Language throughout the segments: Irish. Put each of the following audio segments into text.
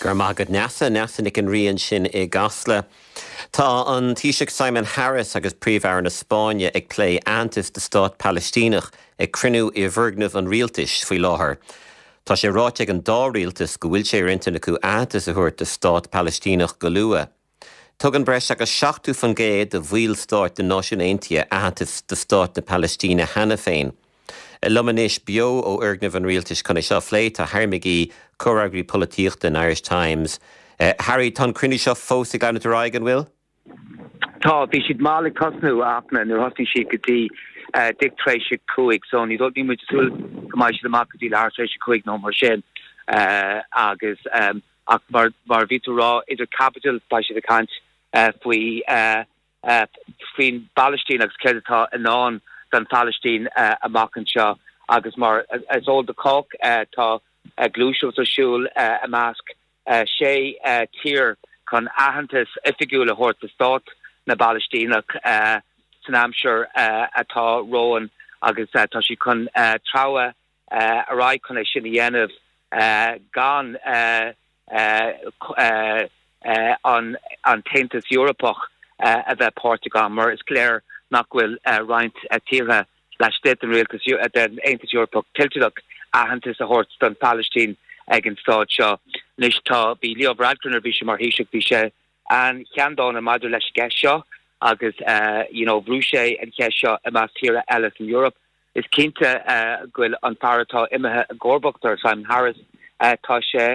Go raibh maith agat Neasa. Neasa Nic an Rí ansin i gCasla. Tá an Taoiseach Simon Harris agus Príomh-Aire na Spáinne ag plé aitheantas do stát Palaistíneach ag cruinniú i bhfoirgneamh an rialtais faoi láthair. Tá sé ráite ag an dá rialtas go bhfuil sé ar intinn acu aitheantas a thabhairt do stát Palaistíneach go luath. Tugann breis agus 70% de bhaill stáit na Náisiún Aontaithe aitheantas do stát na Palaistíne cheana féin. Liom anois, beo ó fhoirgneamh an rialtais chun é seo a phlé, tá Harry McGee, comhfhreagraí polaitíochta an Irish Times. Harry, tá an cruinniú seo fós ag leanúint ar aghaidh, an bhfuil? Tá, bhí siad mall ag tosnú, a Fhachtna, nuair a thosnaigh siad go dtí deich tar éis a 5, so ní níl muid ag súil go mbeidh siad amach go dtí leathuair tar éis a 5 nó mar sin. Agus ach mar mar a bhí tú a rá, idir chaibidil beidh siad ag caint faoi faoin bPalaistín agus céard atá i ndán don Phalaistín amach anseo agus mar is eol do chách tá gluaiseacht ar siúl i measc sé tír chun aitheantas oifigiúil a thabhairt do stát na bPalaistíneach san aimsir atá romhainn agus tá siad chun treabhadh ar aghaidh chun é sin a dhéanamh gan an tAontas Eorpach a bheith páirteach ann mar is léir nach bhfuil roinnt tíortha laistigh den Rialtas, den Aontas Eorpach toilteanach aitheantas a thabhairt don Phalaistín ag an staid seo. Anois tá, bhí Leo Varadkar nuair a bhí sé mar Thaoiseach, bhí sé an-cheanndána maidir leis an gceist seo agus you know bhrú sé an cheist seo i measc tíortha eile san Eoraip. Is cinnte go bhfuil an fear atá imithe i gcomharbacht air, Simon Harris, tá sé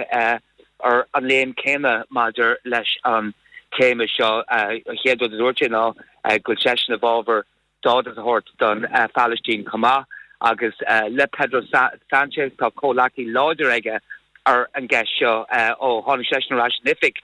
ar an léim céanna maidir leis an téama seo. An chéad rud a dúirt sé ná go bhfuil seisean i bhfabhar stádas a thabhairt don Phalaistín chomh maith agus le Pedro Sanchez tá comhleacaí láidir aige ar an gceist seo. Ó tháinig seisean ar ais in oifig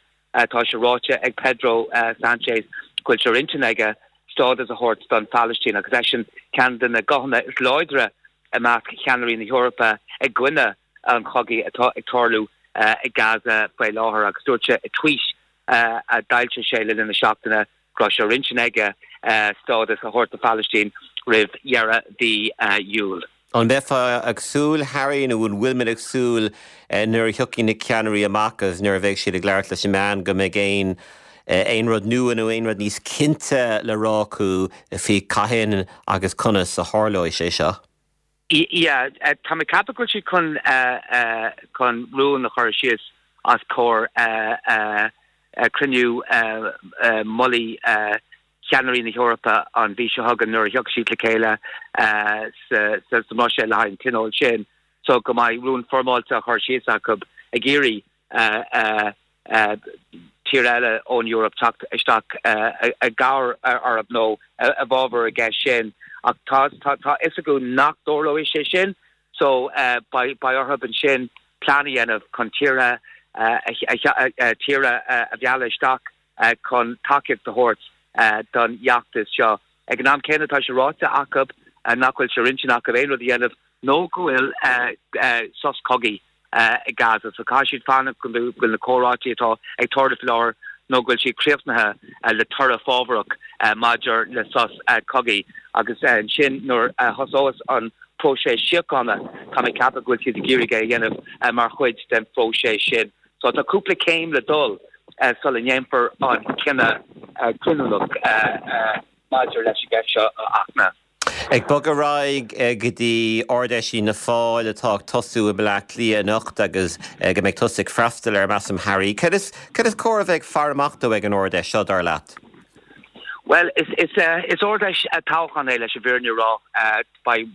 tá sé ráite ag Pedro Sanchez go bhfuil sé ar intinn aige stádas a thabhairt don Phalaistín agus eisean ceann de na guthanna is láidre i measc cheannairí na hEorpa i gcoinne an chogaidh atá ag tarlú i Gaza faoi láthair agus dúirt sé i tweet a d'fhoilsigh sé le linn na seachtaine go raibh sé ar intinn aige stádas a thabhairt do Phalaistín roimh dheireadh mhí Iúil. An mbeifeá ag súil, Harry, nó an bhfuil muid ag súil nuair a thiocfaidh na ceannairí amach agus nuair a bheidh siad ag labhairt leis na meáin go mbeidh aon aon rud nua nó aon rud níos cinnte le rá acu faoi cathain agus conas a tharlóidh sé seo? Yeah, tá mé ag ceapadh go bhfuil siad chun chun rún a chur síos os comhair cruinniú mullaigh cheannairí na hEorpa an mhí seo chugainn nuair a thiocfaidh siad le chéile sa mBruiséil le haghaidh an tionóil sin so go mbeidh rún foirmeáilte á chur síos acu ag iarraidh tír eile ón Eoraip teacht isteach i gcabhair orthu nó i bhfabhar an gceist sin. Ach tá tá tá fhios acu nach dtarlóidh sé sin so beidh beidh orthu ansin plean a dhéanamh chun tíortha tíortha a mhealladh isteach chun tacaíocht a thabhairt don fheachtas seo. Ag an am céanna tá sé ráite acu nach bhfuil sé ar intinn acu aon rud a dhéanamh nó go bhfuil sos cogaidh i Gaza. So caithfidh siad fanacht go bhfuil na comhráití atá ag tarlú faoi láthair nó go bhfuil siad críochnaithe le toradh fábharach maidir le sos cogaidh. Agus ansin nuair a thosós an próiseas síochána, tá mé ag ceapadh go bhfuil siad ag iarraidh é a dhéanamh mar chuid den phróiseas sin. So tá cúpla céim le dul sula ndéanfar an cinneadh cinniúnach maidir leis an gceist seo a Fhachtna. Ag bogadh ar aghaidh go dtí Ard-Fheis Fhianna Fáil atá ag tosú i mBleá Cliath anocht agus go mbeidh tusa ag freastal air, measaim, Harry. Cad is cad is cóir a bheith ag faire amach dó ag an Ard-Fheis seo, dar leat? Bhuel, is is is Ard-Fheis toghcháin é leis an bhfírinne a rá. Beidh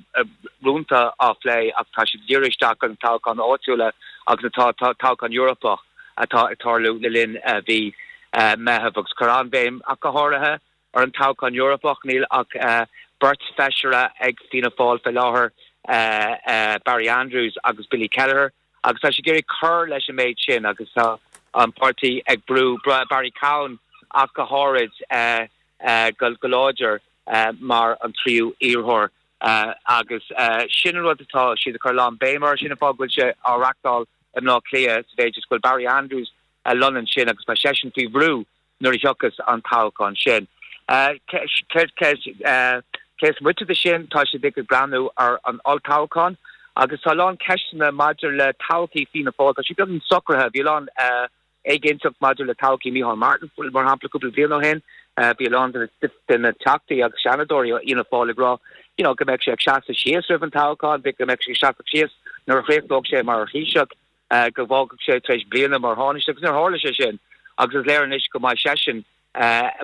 rúnta á phlé ach tá siad ag díriú isteach ar na toghcháin áitiúla agus atá toghchán Eorpach atá ag tarlú le linn mhí Meitheamh agus cuir an-bhéim ach go háirithe Ar an toghchán Eorpach, níl ach beirt feisire ag Fianna Fáil faoi láthair, Barry Andrews agus Billy Kelleher, agus tá siad ag iarraidh cur leis an méid sin agus tá an páirtí ag brú Barry Cowen ach go háirid go láidir mar an tríú iarrthóir agus sin an rud atá siad ag cur a lán béim air. Sin an fáth go bhfuil sé á reachtáil i mBleá Cliath sa mhéid is go bhfuil Barry Andrews lonnaithe ansin agus beidh seisean faoi bhrú nuair a thiocfas an toghchán sin. Cé is moite de sin, tá siad ag breathnú ar an olltoghchán agus tá a lán ceisteanna maidir le todhchaí Fianna Fáil. Tá sé beagnach socraithe. Bhí a lán. éiginnteacht maidir le todhchaí Micheál Martin, mar shampla, cúpla bliain ó shin. Bhí a lán de na Teachtaí agus Seanadóirí ó Fhianna Fáil ag rá you know go mbeadh sé ag seasamh síos roimh an toghchán, go mbeadh sé ag seasamh síos nuair a chríochnódh sé mar Thaoiseach, go bhfágfadh sé tar éis bliana mar Thánaiste agus níor tharla sé sin agus is léir anois go mbeidh seisean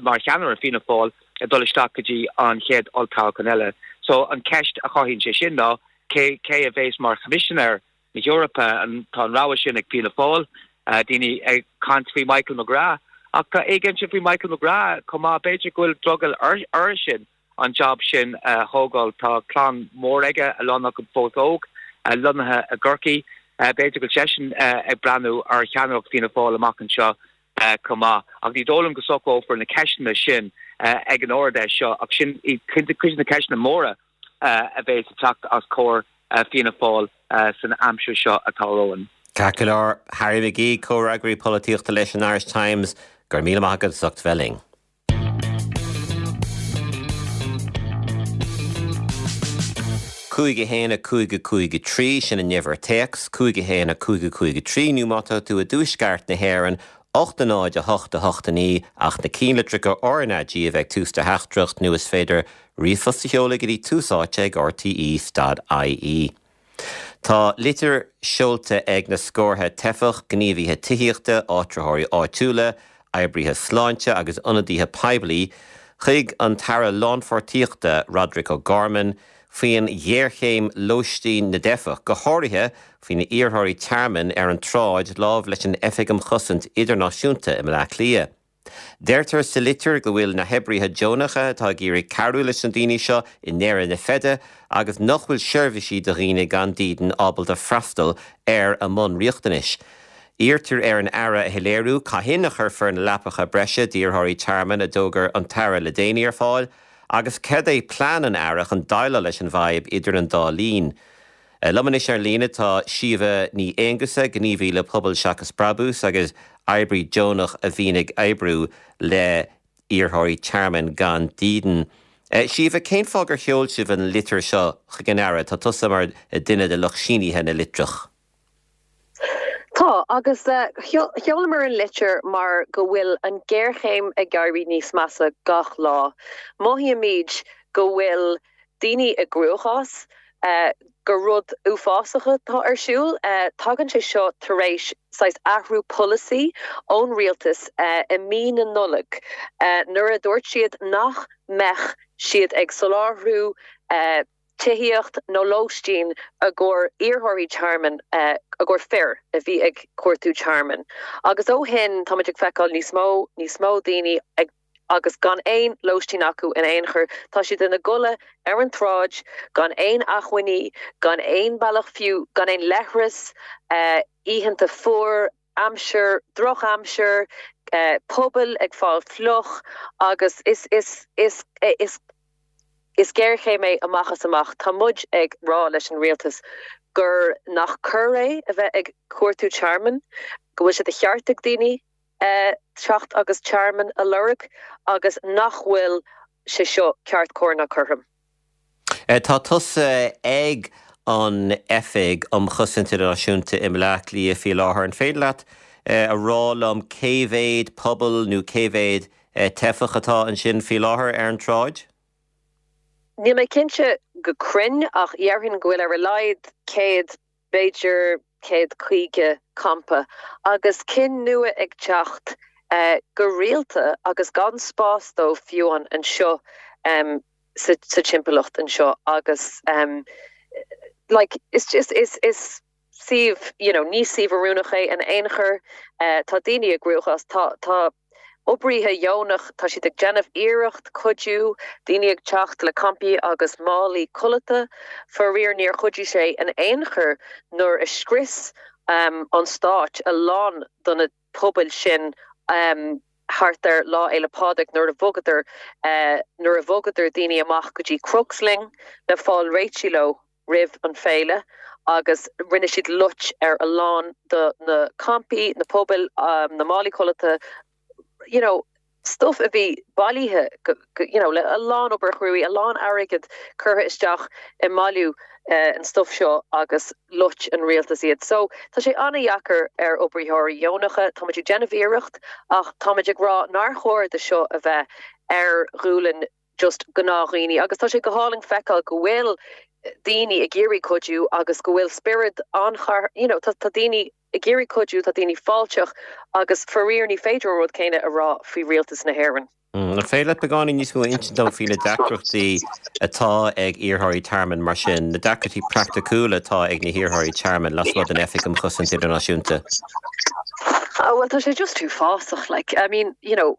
mar cheannaire Fianna Fáil ag dul isteach go dtí an chéad olltoghchán eile. So an ceist a chothaíonn sé sin ná cé cé a bhéas mar Choimisinéir na hEorpa? Tá an rogha sin ag Fianna Fáil, daoine ag caint faoi Michael McGrath ach tá éiginnteacht faoi Michael McGrath chomh maith. B'fhéidir go bhfuil drogall airsean an jab sin a thógáil. Tá clann mhór aige, a lán acu fós óg, lonnaithe i gCorcaigh. B'fhéidir go bhfuil seisean ag breathnú ar cheannaireacht Fianna Fáil amach anseo chomh maith. Ach ní dóigh liom go socrófar na ceisteanna sin ag an Ard-Fheis seo, ach sin iad cuid de na ceisteanna móra a bheas ag teacht os comhair Fianna Fáil san aimsir seo atá romhainn. Ceart go leor, Harry McGee, comhfhreagraí polaitíochta leis an Irish Times, go raibh míle maith agat as ucht bheith linn. 5 1 5 5 3, sin an uimhir téacs, 5 1 5 5 3, nó má tá tú i dtuaisceart na hÉireann, 8 0 8 8 9, ach na cinnlitreacha RnaG a bheith ag tús do theachtaireacht nó is féidir ríomhphost a sheoladh go dtí tús áite ag rte dot ie. Tá litir seolta ag na scórtha teifeach, gníomhaithe tithíochta, áitritheoirí áitiúla, oibrithe sláinte agus ionadaithe poiblí chuig an tAire Lánpháirtíochta, Roderic O'Gorman, faoin ghéarchéim lóistín na dteifeach, go háirithe faoi na iarrthóirí tearmainn ar an tsráid láimh leis an Oifig um Chosaint Idirnáisiúnta i mBleá Cliath. Deirtear sa litir go bhfuil na hoibrithe deonacha atá ag iarraidh cabhrú leis na daoine seo i ndeireadh na feide agus nach bhfuil seirbhísí do dhaoine gan dídean ábalta freastal ar a mbunriachtanais. Iarrtar ar an Aire a shoiléiriú cathain a chuirfear na leapacha breise d'iarrthóirí tearmainn a d'fhógair an tAire le déanaí ar fáil agus cad é plean an Aire chun déileáil leis an bhfadhb idir an dá linn. Liom anois ar líne tá Síomha Ní Aonghusa, gníomhaí le Pobal Seachas Brabús agus oibrí deonach a bhíonn ag oibriú le hiarrthóirí tearmainn gan dídean. Síomha, cén fáth gur sheol sibh an litir seo chuig an Aire? Tá tusa mar duine de lucht sínithe na litreach. Tá, agus sheolamar an litir mar go bhfuil an géarchéim ag éirí níos measa gach lá. Mothaímid go bhfuil daoine i gcruachás, gur rud uafásach atá ar siúl. Tagann sé seo tar éis saghas athrú polasaí ón rialtas i mí na Nollag nuair a dúirt siad nach mbeadh siad ag soláthrú tithíocht nó lóistín i gcomhair iarrthóirí tearmainn, i gcomhair fir a bhí ag cuartú tearmainn. Agus ó shin táimid ag feiceáil níos mó, níos mó daoine ag agus gan aon lóistín acu in aon chor. Tá siad ina gcodladh ar an tsráid, gan aon acmhainní, gan aon bealach fiú, gan aon leithreas, oícheanta fuar, aimsir, drochaimsir, pubaill ag fáil fliuch agus is, is, is, is, is géarchéim é amach is amach. Tá muid ag rá leis an rialtas gur nach coir é a bheith ag cuartú tearmainn, go bhfuil sé de cheart ag daoine teacht agus tearmann a lorg agus nach bhfuil sé seo ceart, cóir ná cothrom. Tá tusa ag an Oifig um Chosaint Idirnáisiúnta i mBleá Cliath faoi láthair. An féidir leat a rá liom cé mhéad puball nó cé mhéad teifeach atá ansin faoi láthair ar an tsráid? Níl mé cinnte go cruinn ach dhéarfainn go bhfuil ar a laghad 100 b'fhéidir 150 campa, agus cinn nua ag teacht go rialta agus gan spás dóibh fiú anseo sa timpeallacht anseo agus like is just is is suíomh you know ní suíomh oiriúnach é in aon chor. Tá daoine i gcruachás, tá tá Oibrithe dheonach, tá siad ag déanamh iarracht cuidiú, daoine ag teacht le campaí agus málaí codlata. Faraor níor chuidigh sé in aon chor nuair a scrios an stát a lán de na pubaill sin thart ar Lá Fhéile Pádraig nuair a bhogadar nuair a bhogadar daoine amach go dtí Crooksling le fáil réitithe leo. roimh an féile agus rinne siad loit ar a lán de na campaí, na pubaill, na málaí codlata, you know. Stuff a bhí bailithe go, you know, le a lán obair chruaidh, a lán airgead curtha isteach i mbailiú an stuff seo agus loit an rialtas iad. So, tá sé an-dheacair ar oibritheoirí dheonacha, táimid ag déanamh iarracht ach táimid ag rá nár chóir do seo a bheith ar ghualainn just gnáthdhaoine agus tá sé go hálainn feiceáil go bhfuil daoine ag iarraidh cuidiú agus go bhfuil spiorad an-char, you know, tá daoine ag iarraidh cuidiú, tá daoine fáilteach agus faraor ní féidir an rud céanna a rá faoi rialtas na hÉireann. An féidir leat beagáinín níos mó a insint dom faoi na deacrachtaí atá ag iarrthóirí tearmainn mar sin, na deacrachtaí praiticiúla atá ag na hiarrthóirí tearmainn lasmuigh den Oifig um Chosaint Idirnáisiúnta? Oh well tá sé just uafásach like I mean you know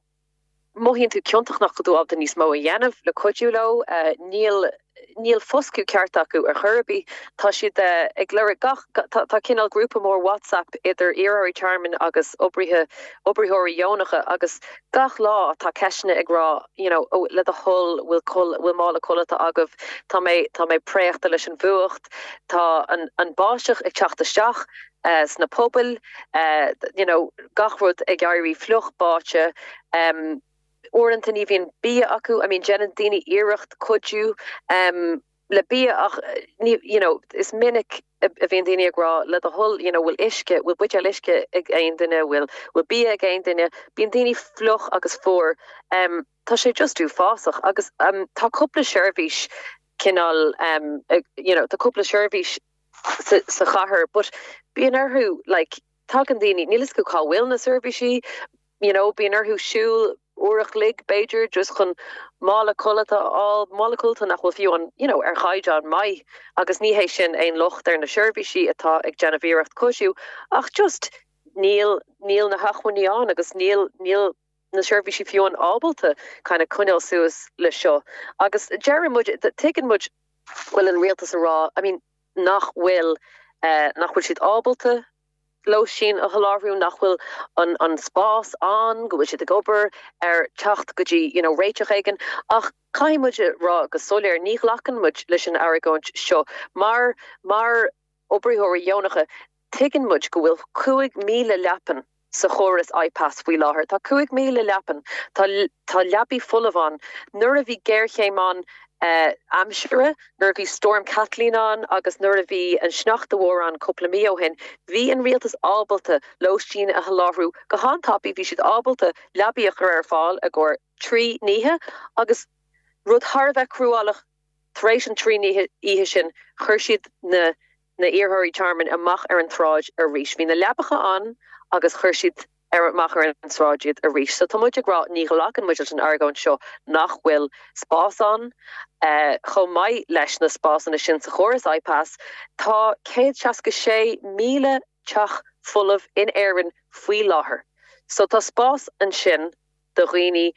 Mothaíonn tú ciontach nach bhfuil tú ábalta níos mó a dhéanamh le cuidiú leo. Níl níl foscadh ceart acu ar chor ar bith. Tá siad ag lorg gach tá cineál grúpa mór WhatsApp idir iarrthóirí tearmainn agus oibrithe oibritheoirí dheonacha agus gach lá tá ceisteanna ag rá you know oh le do thoil bhfuil col bhfuil mála codlata agaibh tá mé tá mé préachta leis an bhfuacht tá an an báisteach ag teacht isteach sna pubaill, you know gach rud ag éirí fliuch báite. Uaireanta ní bhíonn bia acu, I mean déanann daoine iarracht cuidiú le bia ach ní, you know is minic a bhíonn daoine ag rá le do thoil you know bhfuil uisce, bhfuil buidéal uisce ag aon duine, bhfuil, bhfuil bia ag aon duine, bíonn daoine fliuch agus fuar. Tá sé just uafásach agus tá cúpla seirbhís cineál you know tá cúpla seirbhís sa chathair but bíonn orthu like tagann daoine níl fhios acu cá bhfuil na seirbhísí you know bíonn orthu siúl uair a chloig b'fhéidir just chun mála codlata a fháil, mála codlata nach bhfuil fiú an you know ar chaighdeán maith agus ní hé sin aon locht ar na seirbhísí atá ag déanamh iarracht cuidiú ach just níl níl na hacmhainní ann agus níl níl na seirbhísí fiú an ábalta kind of coinneáil suas le seo agus deireann muid tuigeann muid go bhfuil an rialtas a rá I mean nach bhfuil nach bhfuil siad ábalta lóistín a sholáthrú, nach bhfuil an an spás ann, go bhfuil siad ag obair ar teacht go dtí you know réiteach éigin ach caithfidh muid a rá go soiléir ní ghlacann muid leis an argóint seo mar mar oibritheoirí dheonacha Tuigeann muid go bhfuil 5,000 leapan sa chóras IPAS faoi láthair. Tá 5,000 leapan. Tá tá leapaí folamh ann. Nuair a bhí géarchéim ann aimsire, nuair a bhí Storm Kathleen ann agus nuair a bhí an sneachta mhór ann cúpla mí ó shin, bhí an rialtas ábalta lóistín a sholáthrú go han-tapaidh. Bhí siad ábalta leapaí a chur ar fáil i gcomhair 3 n-oíche agus rud thar a bheith cruálach, Tar éis an 3 oíche sin, chuir siad na na iarrthóirí tearmainn amach ar an tsráid arís. Bhí na leapacha ann agus chuir siad ar amach ar an tsráid iad arís. So tá muid ag rá, ní ghlacann muid leis an argóint seo nach bhfuil spás ann. Chomh maith leis na spásanna sin sa chóras IPAS, tá 166,000 teach folamh in Éirinn faoi láthair. So tá spás ansin do dhaoine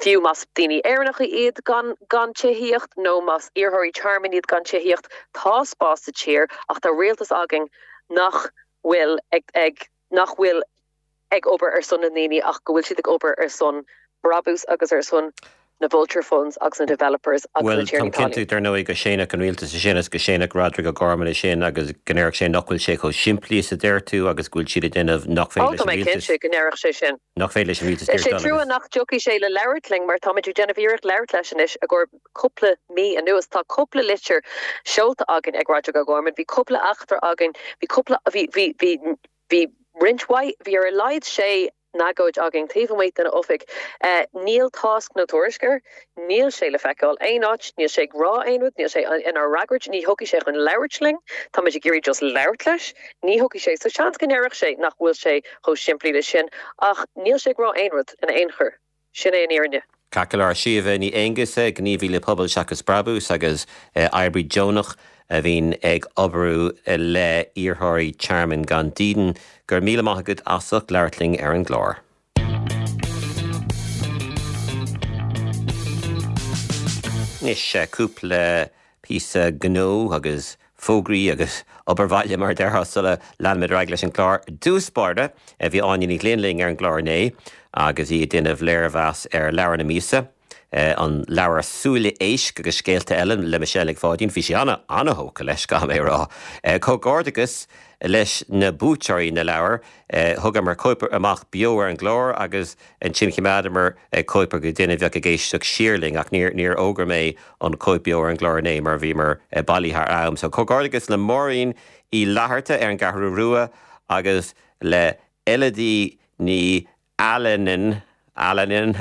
fiú más daoine Éireannacha iad gan gan tithíocht nó más iarrthóirí tearmainn iad gan tithíocht, tá spás sa tír ach tá rialtas againn nach bhfuil ag ag nach bhfuil ag obair ar son na ndaoine ach go bhfuil siad ag obair ar son brabús agus ar son na vulture funds agus na developers agus na Bhuel, tiarnaí táim cinnte, talún. dar ndóigh, go séanfadh an rialtas é sin agus go séanfadh Roderic O'Gorman é sin agus go ndéarfadh sé nach bhfuil sé chomh simplí is a deir tú agus go bhfuil siad ag déanamh nach féidir leis an rialtas. Ó, tá mé cinnte go ndéarfadh sé sin. Nach féidir leis an rialtas Is é trua nach dtiocfaidh sé le labhairt linn mar táimid ag déanamh iarracht labhairt leis anois i gcomhair cúpla mí anuas. Tá cúpla litir seolta againn ag Roderic O'Gorman, bhí cúpla eachtra againn, bhí cúpla, bhí, bhí, bhí, bhí roinnt mhaith, bhí ar a laghad sé n-agóid againn taobh amuigh den oifig. Níl tásc nó tuairisc air. Níl sé le feiceáil aon áit. Níl sé ag rá aon rud. Níl sé inár fhreagairt. Ní thiocfaidh sé chun labhairt linn. Táimid ag iarraidh just labhairt leis. Ní thiocfaidh sé. So seans go ndéarfadh sé nach bhfuil sé chomh simplí leis sin. Ach níl sé ag rá aon rud in aon chor. Sin é an fhírinne. Ceart go leor. Síomha Ní Aonghusa, gníomhaí le Pobal Seachas Brabús agus oibrí deonach a bhíonn ag oibriú le hiarrthóirí tearmainn gan dídean. Go raibh míle maith agat as ucht labhairt linn ar an gclár. Anois, cúpla píosa gnó agus fógraí agus obair bhaile mar a déarfá sula leanfaimid ar aghaidh leis an gclár. I dtús báire, bhí Áine Ní Ghlinn linn ar an gclár inné agus í ag déanamh léirmheas ar leabhar na míosa. An leabhar Súile Éisc agus Scéalta Eile le Michelle Nic Pháidín, bhí sí ana, ana-thógtha leis, caithfidh mé a rá. Comhghairdeachas leis na buaiteoirí na leabhar. Thugamar cóip amach beo ar an gclár agus ansin choimeádamar cóip do dhuine a bheadh ag éisteacht siar linn ach níor, níor fhógair mé an cóip beo ar an gclár inné mar bhíomar bailí thar am. So comhghairdeachas le Máirín Uí Fhlatharta ar an gCeathrú Rua agus le Elodie Ní Alanen, Alanen,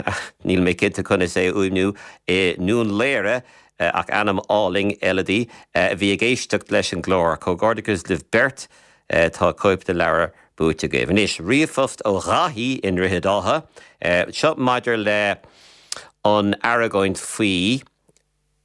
níl mé cinnte conas é a fhuaimniú, i nDún Laoghaire, ach ainm álainn, Elodie, a bhí ag éisteacht leis an gclár. Comhghairdeachas libh beirt, tá cóip den leabhar buaite agaibh. Anois, ríomhphost ó Dhaithí i nDroichead Átha. Seo maidir le an argóint faoi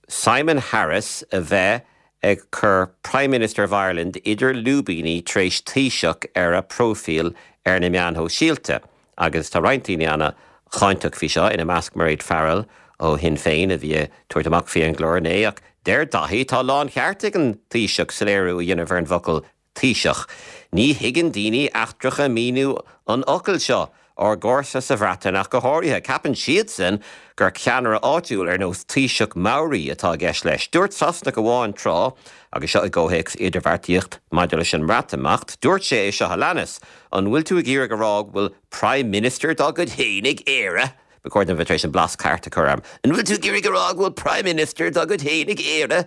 Simon Harris a bheith ag cur Prime Minister of Ireland idir lúibíní tar éis Taoiseach ar a próifíl ar na meáin shóisialta agus tá roinnt daoine ana cháinteach faoi seo, ina measc Mairéad Farrell ó Shinn Féin a bhí ag tabhairt amach faoi ar an gclár inné ach deir Daithí tá láncheart ag an Taoiseach soiléiriú a dhéanamh ar an bhfocal Taoiseach. Ní thuigeann daoine eachtracha míniú an fhocail seo, ár gcomharsa sa Bhreatain ach go háirithe. Ceapann siadsan gur ceannaire áitiúil ar nós Taoiseach Maori atá i gceist leis. Dúirt Sasanach amháin tráth, agus seo i gcomhthéacs idirbheartaíocht maidir leis an mBreatimeacht, dúirt sé é seo a leanas, An bhfuil tú ag iarraidh a rá go bhfuil Prime Minister dá gcuid féin ag Éire? Ba chóir dom bheith tar éis an blas ceart a chur orm. An bhfuil tú ag iarraidh a rá go bhfuil Prime Minister dá gcuid féin ag Éire?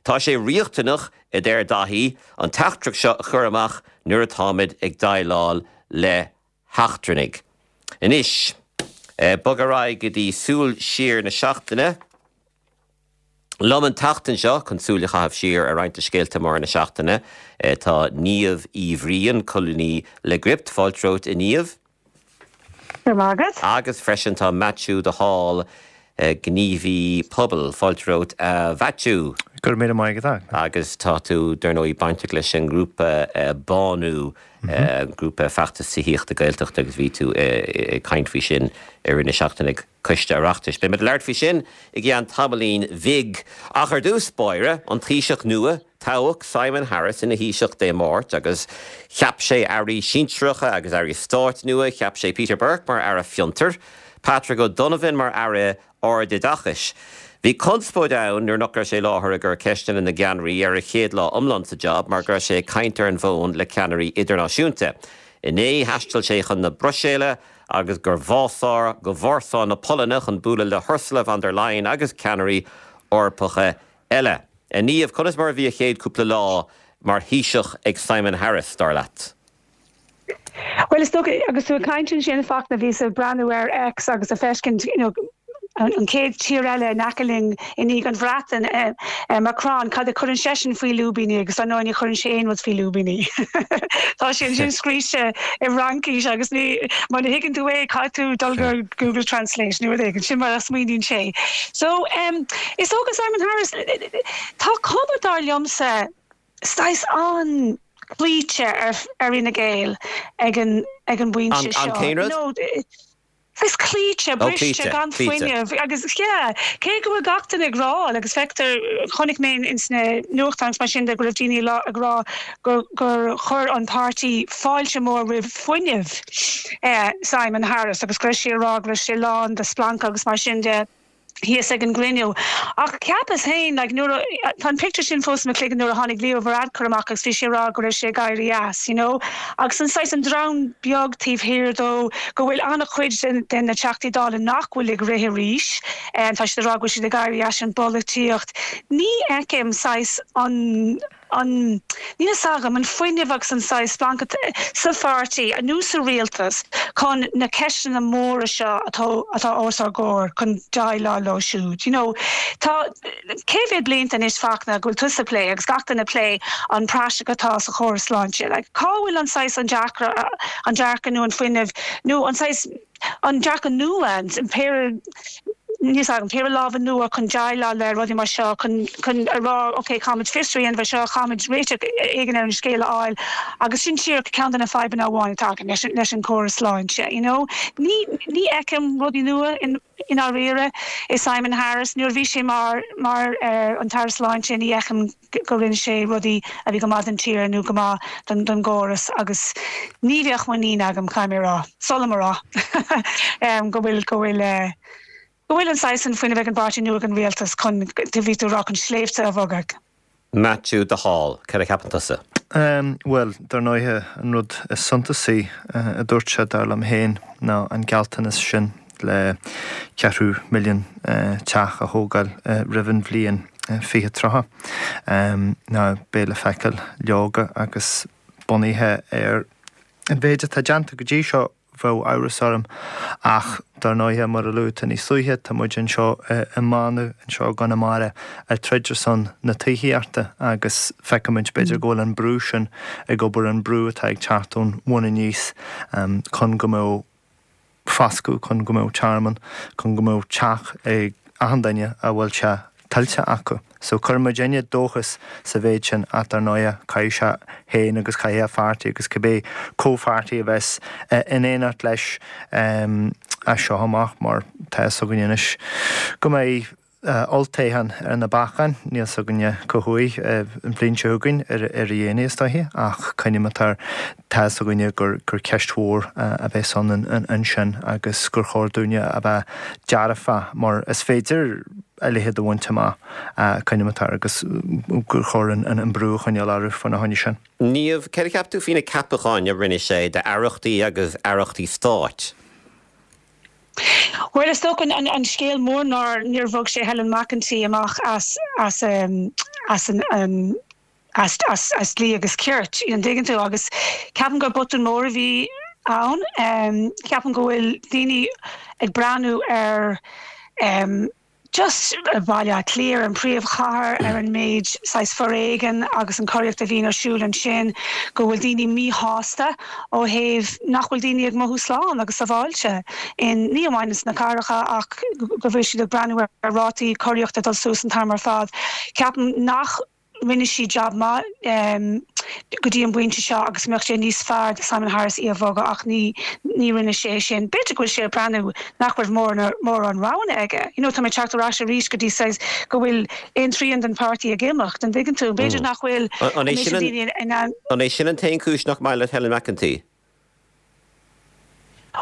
Tá sé riachtanach a deir Daithí, an teachtaireacht seo a chur amach nuair atáimid ag déileáil le heachtrannaigh. Anois, bog ar aghaidh go dtí Súil Siar na Seachtaine. Liom an tseachtain seo, chun súil a chaitheamh siar ar roinnt de scéalta móra na seachtaine, tá Niamh Uí Bhriain, colúnaí le Gript. Fáilte romhat, a Niamh. Go raibh maith agat. Agus freisin tá Maitiú de Hál, gníomhaí pobail. Fáilte romhat, a Mhaitiú. Go raibh míle maith agat. Agus tá tú, dar ndóigh, bainteach leis an ngrúpa Bánú, grúpa feachtas tithíochta Gaeltachta agus bhí tú ag caint faoi sin i rith na seachtaine ag Coiste Oireachtais. Beidh muid ag labhairt faoi sin i gceann tamaillín bhig. Ach ar dtús báire, an Taoiseach nua, Toghadh Simon Harris ina Thaoiseach Dé Máirt agus cheap sé airí sinsearacha agus airí stáit nua. Cheap sé Peter Burke mar Aire Fiontair, Patrick O'Donovan mar Aire Ardoideachais. Bhí conspóid ann nuair nach raibh sé i láthair i gcomhair ceisteanna na gceannairí ar a chéad lá iomlán sa job mar go raibh sé ag caint ar an bhfón le ceannairí idirnáisiúnta. Inné thaistil sé chun na Bruiséile agus go Vársá, go Vársá na Polainne chun bualadh le hUrsula von der Leyen agus ceannairí Eorpacha eile. A Niamh, conas mar a bhí a chéad cúpla lá mar Thaoiseach ag Simon Harris, dar leat? Bhuel, is dócha, agus tú ag caint ansin, Fachtna, bhíos ag breathnú ar X agus ag feiscint, you know, an chéad tír eile in aice linn i ndiaidh an Bhreatain, Macron, cad a chuireann seisean faoi lúibíní agus dar ndóigh ní chuireann sé aon rud faoi lúibíní. Tá sé ansin scríte i bhFraincis agus ní, muna thuigeann tú é, caithfidh tú dul go Google Translate nó rud éigin, sin mar a smaoiníonn sé. So, is dócha Simon Harris, tá cuma dar liomsa saghas an-chloíte ar Fhine Gael ag an ag an bpointe seo. An cén rud? You know, saghas cloíte, briste, gan fuinneamh agus yeah, cé go bhfuil gach duine ag rá agus feictear, chonaic mé ins na nuachtáin agus mar sin de go raibh daoine ag rá gur gur chuir an páirtí fáilte mór roimh fuinneamh Simon Harris agus go raibh sé ag rá go raibh sé lán de splancadh agus mar sin de thíos ag an gcruinniú. Ach cheapas féin, like, nuair a, tá an pictiúr sin fós i mo chloigeann nuair a tháinig Leo Varadkar amach agus bhí sé ag rá go raibh sé ag éirí as, you know. Agus an saghas, an dream beag taobh thiar dó, go bhfuil an-chuid de, de na Teachtaí Dála nach bhfuil ag rith arís, tá siad ag rá go bhfuil siad ag éirí as an bpolaitíocht. Ní fheicim saghas an, an, níl fhios agam, an fuinneamh agus an saghas splancadh sa pháirtí nó sa rialtas chun na ceisteanna móra seo atá, atá os ár gcomhair chun déileáil leo siúd. You know, tá cé mhéad blianta anois Fachtna go bhfuil tusa ag plé agus gach duine ag plé an praiseach atá sa chóras sláinte. Like, cá bhfuil an saghas an dearcadh, an dearcadh nó an fuinneamh nó an saghas, an dearcadh nua, an péire, níl fhios agam, péire lámha nua chun déileáil le rudaí mar seo, chun, chun a rá ok, caithfimid fiosrú a dhéanamh ar seo, caithfimid réiteach éigin ar an scéal a fháil agus sin díreach ceann de na fadhbanna amháin atá againn leis, leis an gcóras sláinte, you know. Ní, ní fheicim rudaí nua in, i ndáiríre i Simon Harris. Nuair a bhí sé mar, mar an tAire Sláinte ní fheicim go rinne sé rudaí a bhí go maith don tír nó go maith don gcóras agus ní bheadh muinín agam, caithfidh mé a rá, sula mo rá, go bhfuil, go bhfuil. Go bhfuil an saghas sin fuinnimh ag an bpáirtí nó ag an rialtas chun, bhí tú ag rá, chun sléibhte a bhogadh. Maitiú de Hál, céard a cheapann tusa? Bhuel, dar ndóighe, an rud is suntasaí a dúirt sé, dar liom féin, ná an gealltanas sin le ceathrú milliún teach a thógáil roimh an bhliain 2030. Now, beidh le feiceáil, leoga, agus bunaithe ar an mhéid atá déanta go dtí seo, Bheadh amhras orm. Ach, dar ndóighe, mar a luaigh tú níos luaithe, tá muid anseo i mBanú, anseo i gConamara, ag troid ar son na tithíochta agus feicimid, b'fhéidir, go bhfuil an brú sin ag obair, an brú atá ag teacht ón bhun aníos chun go mbeadh foscadh, chun go mbeadh tearmann, chun go mbeadh teach ag achan duine a bhfuil sé tuillte acu. So cuireann muidinne dóchas sa mhéid sin ach dar ndóighe caithfidh sé féin agus caithfidh a pháirtí agus cibé comhpháirtí a bheas in éineacht leis as seo amach mar tá fhios againn anois go mbeidh olltoghchán ar na bacáin, níl fhios againne cá huair, an bhliain seo chugainn ar a dhéanaí is dóiche ach coinneoidh muid air Tá fhios againne gur ceist mhór a bheas ann ansin agus gur chóir dúinne a bheith dearfach mar is féidir a leithéid a bhaint amach, coinneoidh muid air agus gur chóir an brú a choinneáil orthu faoina choinne sin. Niamh, céard a cheap tú faoi na ceapacháin a rinne sé d'aireachtaí agus aireachtaí stáit? Bhuel, is dócha an scéal mór ná níor bhog sé Helen McEntee amach as as an as as dlí agus cirt, an dtuigeann tú? Agus ceapaim gur botún mór a bhí ann. Ceapaim go bhfuil daoine ag breathnú ar just Baile Átha Cliath, ar an phríomhchathair, ar an méid saghas foréigean agus an choireacht a bhíonn ar siúl ansin, go bhfuil daoine míshásta ó thaobh nach bhfuil daoine ag mothú slán agus sábháilte in, ní amháin sna cathracha ach go bhfuil siad ag breathnú ar rátaí coireachta ag dul suas an t-am ar fad. Ceapaim nach. Rinne sí jab maith go dtí an bpointe seo agus mbeadh sé níos fearr do Simon Harris í a bhogadh ach ní ní rinne sé é sin. B'fhéidir go bhfuil sé ag breathnú nach raibh mórán roghanna aige. You know tá mé ag teacht ar ais arís go dtí saghas go bhfuil aon trian den pháirtí ag imeacht, an dtuigeann tú? B'fhéidir nach bhfuil An é sin an t-aon chúis nach maith leat Helen McEntee?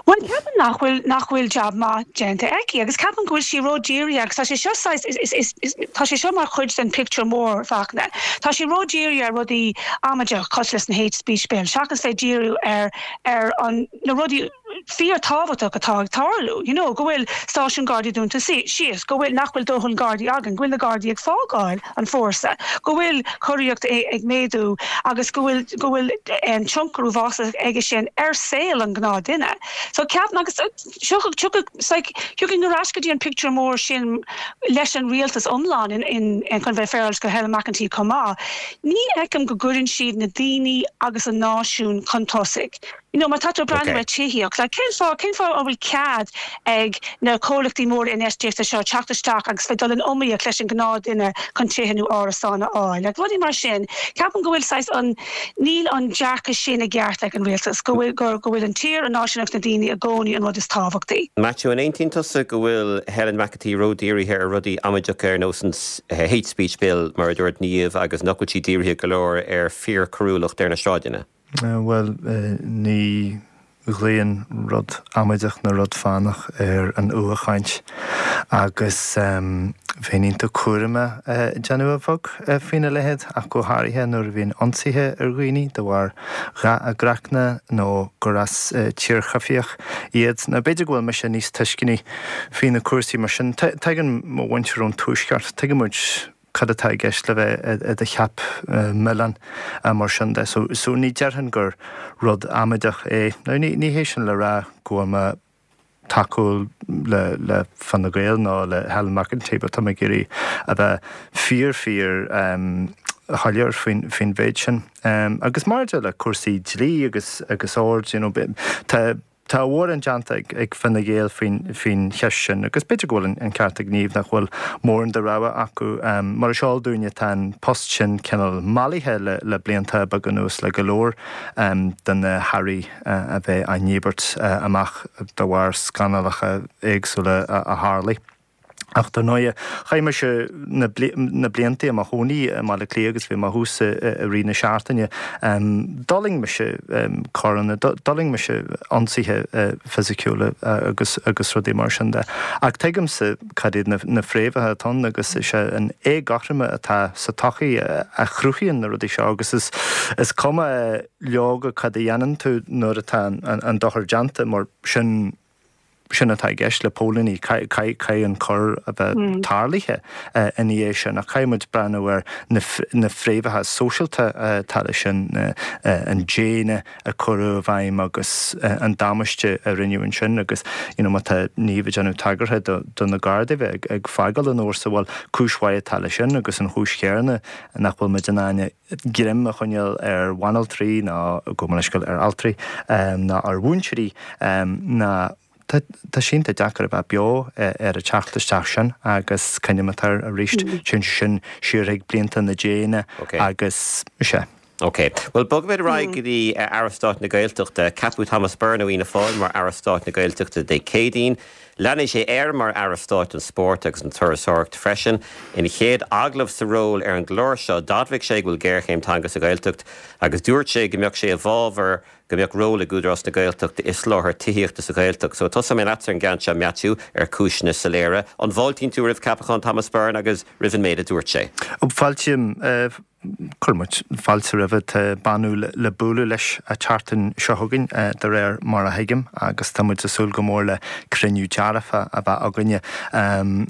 Bhuel, ceapaim nach bhfuil, nach bhfuil jab maith déanta aici agus ceapaim go bhfuil sí ró-dhírithe agus tá sé seo saghas, is, is, is, tá sé seo mar chuid den pictiúr mór, Fachtna. Tá sí ró-dhírithe ar rudaí amaideach cosúil leis an hate speech bill seachas bheith díriú ar, ar an, na rudaí fíor-tábhachtach atá ag tarlú, you know, go bhfuil stáisiún Gardaí dúnta síos, go bhfuil, nach bhfuil dóthain Gardaí againn, go bhfuil na Gardaí ag fágáil. an fórsa, go bhfuil coireacht ag méadú agus go bhfuil go bhfuil tionchar uafásach aige sin ar saol an ghnáthduine. So ceapaim agus tiocfaidh ar ais go dtí an pictiúr mór sin leis an rialtas iomlán in in chun bheith féaráilte go Helen McEntee chomh maith. Ní fheicim go gcuireann siad na daoine agus an náisiún chun tosaigh. You know, má tá tú ag breathnú ar tithíocht, like, cén fáth, cén fáth a bhfuil cead ag na comhlachtaí móra infheistíochta seo teacht isteach agus bheith dul in iomaíocht leis an gnáthduine chun tithe nó árasáin a fháil? Like, rudaí mar sin. Ceapaim go bhfuil saghas an, níl an dearcadh sin i gceart ag an rialtas, go bhfuil, go, go bhfuil an tír, an náisiún agus na daoine i gcónaí an rud is tábhachtaí. Maitiú, an aontaíonn tusa go bhfuil Helen McEntee ródhírithe ar rudaí amaideacha ar nós an Hate Speech Bill, mar a dúirt Niamh, agus nach bhfuil sí dírithe go leor ar fíorchoiriúlacht ar na sráideanna? Bhuel, ní ghlaonn rud amaideach nó rud fánach ar an fhuathchaint agus bheinn iontach cúramach ag déanamh a bheag faoina leithéid, ach go háirithe nuair a bhíonn ionsaithe ar dhaoine de bharr dhath a gcraicne nó gur as tír choimhthíoch iad. Nó b'fhéidir go bhfuil mise níos tuisceanaí faoi na cúrsaí mar sin. Tagann mo mhuintir ón Tuaisceart, tuigeann muid cad atá i gceist le bheith i do cheap milleáin mar sin de. So, so ní déarfainn gur rud amaideach é. Now ní, ní hé sin le rá go bhfuil mé tacúil le, le Fine Gael nó le Helen McEntee but tá mé ag iarraidh a bheith fíor, fíor um, shoiléir faoin, faoin mhéid sin. Um, agus maidir le cúrsaí dlí agus, agus ord, you know, tá, Tá a mhórán déanta ag Fine Gael faoin cheist sin agus b'fhéidir go bhfuil an ceart ag Niamh nach bhfuil mórán de rogha acu. Mar is eol dúinne tá an post sin cineál mallaithe le blianta beaga anuas le go leor de na hairí a bheith á ndíbirt amach de bharr scannallacha éagsúla a tharlaigh. Ach dar ndóighe, chaith mise na blianta i mo chónaí i mBaile Átha Cliath agus bhí mé thuas i rith na seachtaine. D'fhulaing mise coireanna, d'fhulaing mise ionsaithe fisiciúla agus agus rudaí mar sin de. Ach tuigimse cad iad na fréamhacha atá ann agus is é an éagothroime atá sa tsochaí a chruthaíonn na rudaí seo agus is cuma leoga cad a dhéanann tú nuair atá an dochar déanta mar sin Sin atá i gceist le póilíní, caithfidh an coir a bheith tarlaithe ina dhiaidh sin ach caithfidh muid breathnú ar na fréamhacha sóisialta atá leis sin, an déine a cuireadh i bhfeidhm agus an damáiste a rinneadh ansin agus you know má tá Niamh ag déanamh tagartha do na Gardaí bheith ag fágáil an fhórsa, bhuel cúis mhaith atá leis sin agus an chúis chéanna nach bhfuil muid in ann greim a choinneáil ar bhanaltraí ná, gabh mo leithscéal, ar altraí ná ar mhúinteoirí ná tá sé iontach deacair a bheith beo ar an teacht isteach sin agus cuimhním air arís, téann sé sin siar chuig blianta na déine agus sea. Ok. Bhuel, bogfaimid ar aghaidh go dtí Aire Stáit na Gaeltachta. Ceapadh Thomas Byrne ó Fhianna Fáil mar Aire Stáit na Gaeltachta Dé Céadaoin. Leanfaidh sé air mar Aire Stáit don Spórt agus an Turasóireacht freisin. Ina chéad agallamh sa ról ar an gclár seo, d'admhaigh sé go bhfuil géarchéim teanga sa Ghaeltacht agus dúirt sé go mbeadh sé i bhfabhar go mbeadh ról ag Údarás na Gaeltachta i soláthar tithíochta sa Ghaeltacht. So, tosóidh mé leatsa ar an gceann seo, Maitiú, ar chúiseanna soiléire. An bhfáiltíonn tú roimh ceapachán Thomas Byrne agus roimh an méid a dúirt sé? Fáiltím. Cuireann muid fáilte roimhe. Tá beannú le bualadh leis an tseachtain seo chugainn, de réir mar a thuigim, agus tá muid ag súil go mór le cruinniú dearfa a bheith againne.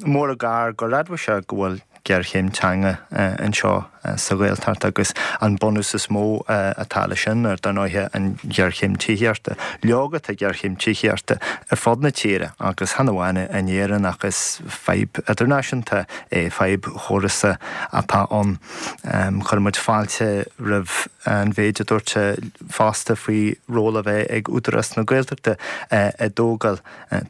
Mór an gar gur admhaigh sé go bhfuil géarchéim teanga anseo sa Ghaeltacht agus an bunús is mó atá leis sin, dar ndóighe, an ghéarchéim tithíochta. Leoga, tá géarchéim tithíochta ar fud na tíre agus chan amháin in Éirinn ach is fadhb idirnáisiúnta é, fadhb chórasach atá ann. Chuir muid fáilte roimh an mhéid a dúirt sé fosta faoi ról a bheith ag Údarás na Gaeltachta i dtógáil